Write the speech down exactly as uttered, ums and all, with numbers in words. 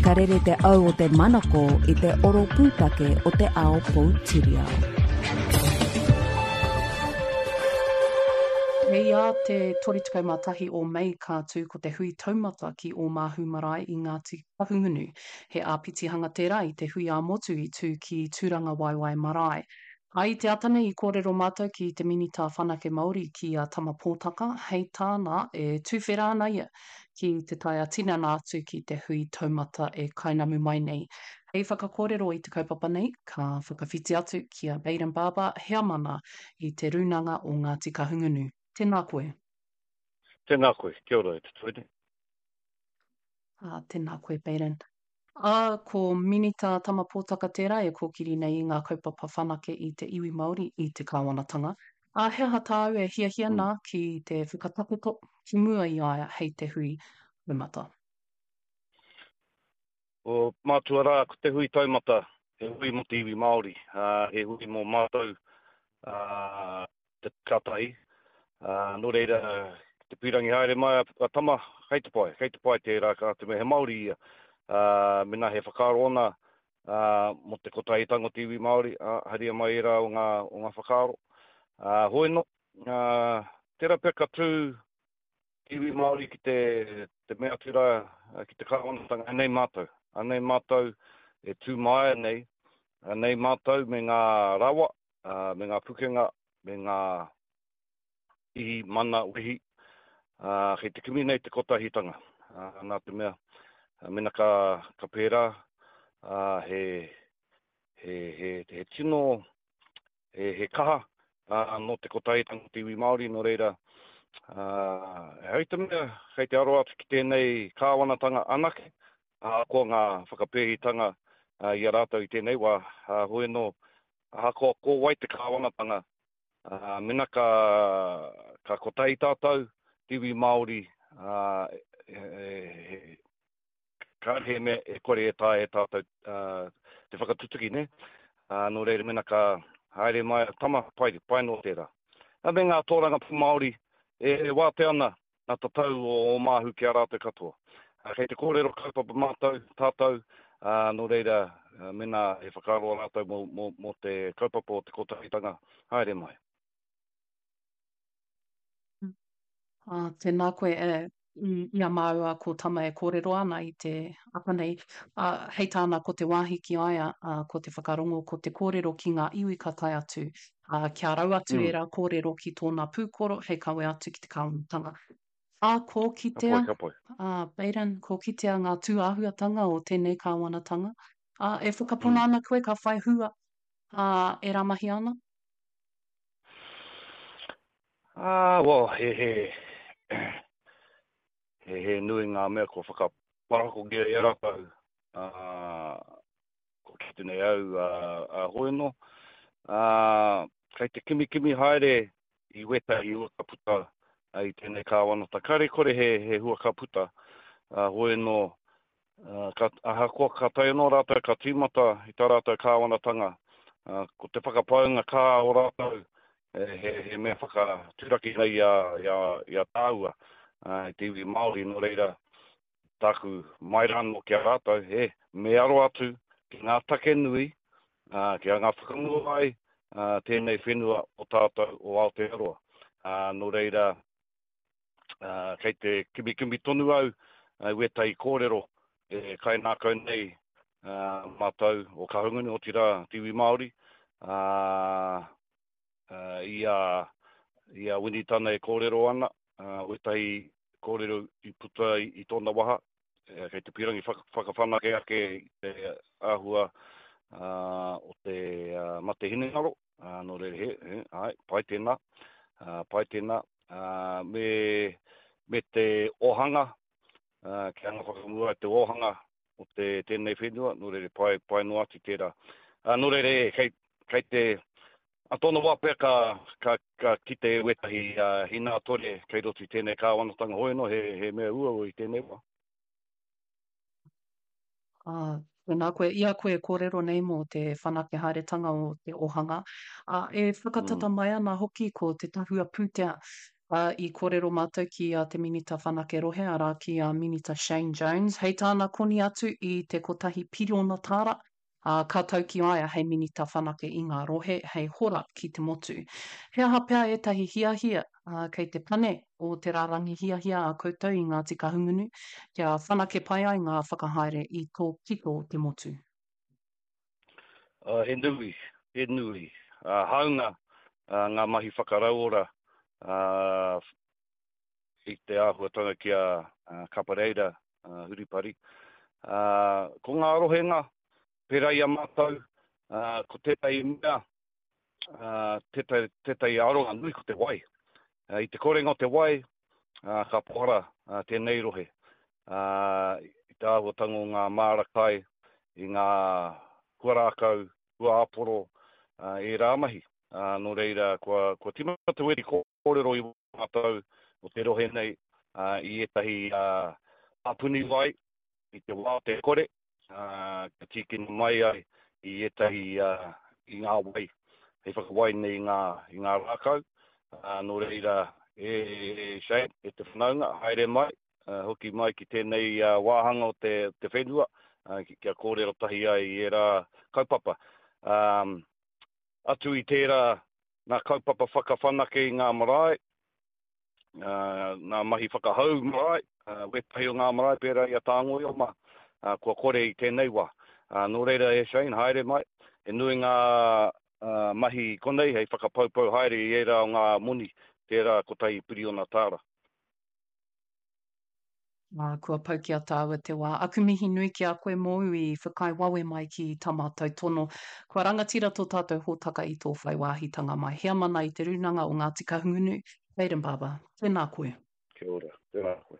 Ka rere te au o te manako i te oro pūtake o te ao poutiriao. Hei ā te toru tekau mā tahi o Mei ka tū ko te hui taumata ki Ōmāhu Marae i Ngāti Kahungunu. He āpitihanga tērā i te hui ā-motu i tū ki Tūrangawaewae Marae. Ā, i te ata nei i kōrero mātou ki te Minita Whanake Māori ki a Tama Pōtaka, hei tāna e tuwhera ana ia ki te tae ā-tinana atu ki te hui taumata e kainamu mai nei. Hei whakakōrero i te kaupapa nei, ka whakawhiti atu ki a Bayden Barber, Heamana i Te Rūnanga o Ngāti Kahungunu. Tēnā koe. Tēnā koe. Kia ora e te toene. Ā, tēnā koe Bayden. Ā, ko Minita Tama Pōtaka tērā e kōkiri nei i ngā kaupapa whanake i te iwi Māori i te kāwanatanga. Ā, he aha tāu e hiahia nā ki te whakatakoto ki mua i a ia hei te hui taumata? Ko mātua rā, ko te hui taumata, he hui mō te iwi Māori, ā, he hui mō mātou, ā, te ka tahi. Ā, nō reira, ki te pīrangi haere mai a Tama, kei te pai, kei te pai tērā, ka te mea he Māori ia. Ā, mēnā he whakaaro ōna, ā, mō te kotahitanga o te iwi Māori, ā, haria mai ērā o ngā, o ngā whakaaro. Ā, hoi nō, ā, tērā pea ka tū te iwi Māori ki te, te mea atu rā, ki te kāwanatanga, anei mātou, anei mātou e tū māia nei, anei mātou me ngā rawa, ā, me ngā pukenga, me ngā ihi, mana, wehi, ā, kei te kimi nei te kotahitanga, ā, nā te mea, mena ka, ka pērā, ā, he, he, he, he tino, he, he kaha, ā, nō te kotahitanga o te iwi Māori, nō reira, ā, ehara i te mea kei te aro atu ki tēnei kāwanatanga anake, ahakoa ngā whakapēhitanga i a rātou i tēnei wā, ā, hoi anō, Ahakoa ko wai te kāwanatanga, mena ka, ka kotahi tātou, te iwi Māori, he, kāre he mea e kore e taea e tātou te whakatutuki, nē? Nō reira, mena ka haere mai a Tama, pai, pai noa tērā. Me ngā tōrangapū Māori e wātea ana Nā tatau o Ōmāhu ki a rātou katoa. Kei te kōrero kaupapa mātou, tātou, ā, nō reira, mēnā he whakaaro a rātou mō, mō, mō te kaupapa o te kotahitanga, haere mai. Ā, tēnā koe, e, i a māua ko Tama e kōrero ana i te ata nei, ā, hei tāna ko te wāhi ki a ia, ā, ko te whakarongo, ko te kōrero ki ngā iwi ka tae atu, ā, kia rau atu mm. ērā kōrero ki tōna pūkoro hei kawe atu ki te kāwanatanga. Ā, kō kitea, ka pai, ka pai. Ā, Bayden, kō kitea ngā tūāhuatanga o tēnei kāwanatanga, ā, e whakapono mm. ana koe ka whai hua, ā, ērā mahi ana? Ā, well, he, he, he, he nui ngā mea kua whakaparakokia e rātou, ā, kua kite nei au a, a hoi anō. Ā, kei te kimikimi haere i wētahi hua ka puta i tēnei kāwanata. Kāre kore he, he hua ka puta, ā, hoi anō, ā, ka, ahakoa ka tae anō rātou ka tīmata i tā rātou kāwanatanga, ā, ko te whakapaunga kā o rātou he, he, he mea whakaturaki nei i a, i a, i a tāua, ā, i te iwi Māori, nō reira, tāku mai rānō ki a rātou, he, me aro atu ki ngā take nui, ā, kia anga whakamua ai ā, tēnei whenua o tātou o Aotearoa. Ā, nō reira, ā, kei te kimikimi tonu au i wētahi kōrero e kainākau nei ā, mātou o Kahungunu, otirā te iwi Māori, ā, i a, i a Winitana e kōrero ana, wētahi kōrero i puta i, i tōna waha, kei te pīrangi whakawhanake ake i te āhua o te mate hinengaro, nō reira, he, he, āe, pai tēnā, pai tēnā, me, me te ōhanga, kia anga whakamua te ōhanga o te, tēnei whenua, nō reira, pai, pai noa atu tērā. Nō reira, e, kei, kei te, A tōna wā pea ka, ka, ka kite wētahi uh, hinātore kei roto i tēnei kāwanatanga hoi anō, he, he mea uaua i tēnei wā. Ā, tēnā koe, i a koe e kōrero nei mō te whanake haeretanga o te ōhanga, ā, e whakatata mm. mai ana hoki ko te tahua pūtea Ā, i kōrero mātou ki a Te Minita Whanake Rohe, arā ki a Minita Shane Jones, hei tāna koni atu i te kotahi piriona tāra, ā, ka tau ki a ia hei Minita Whanake i ngā rohe, hei hora ki te motu. He aha pea ētahi hiahia, ā, kei te pane o te rārangi hiahia a koutou i Ngāti Kahungunu, kia whanake pai ai ngā whakahaere i tō pito o te motu? He nui, he nui. Hāunga ngā mahi whakarauora i te āhuatanga ki a Kapareira Huripari. Ko ngā rohenga, pērā i a mātou, ko tētahi mea, tētahi aronga nui ko te wai. I te korenga o te wai, ka pohara tēnei rohe. I te āhuatanga o ngā māra kai, i ngā huarākau, huaāporo, ērā mahi. Nō reira, kua, kua tīmata wēri kōrero i mātou o te rohe nei i ētahi pāpuni wai i te wā o te kore, kia tīkina mai ai i ētahi i ngā wai hei whakawai nei i ngā, i ngā rākau. Nō reira, e Shane, e te whanaunga, haere mai, hoki mai ki tēnei wāhanga o te, te whenua, kia kōrero tahi ai i ērā kaupapa. Um, atu i tērā ngā kaupapa whakawhanake i ngā marae, ngā mahi whakahou marae, wētahi o ngā marae pērā i a Tāngoio mā, kua kore i tēnei wā. Nō reira e Shane, haere mai, he nui ngā mahi konei hei whakapaupau haere i ērā o ngā moni, tērā kotahi piriona tāra. Ā, kua pau ki a tāua te wā. Aku mihi nui ki a koe mōu i whakaae wawe mai ki tā mātou tono. Kua rangatira tō tātou hōtaka i tō whai wāhitanga mai. Heamana i Te Rūnanga o Ngāti Kahungunu, Hayden Barber, tēnā koe. Kia ora, tēnā koe.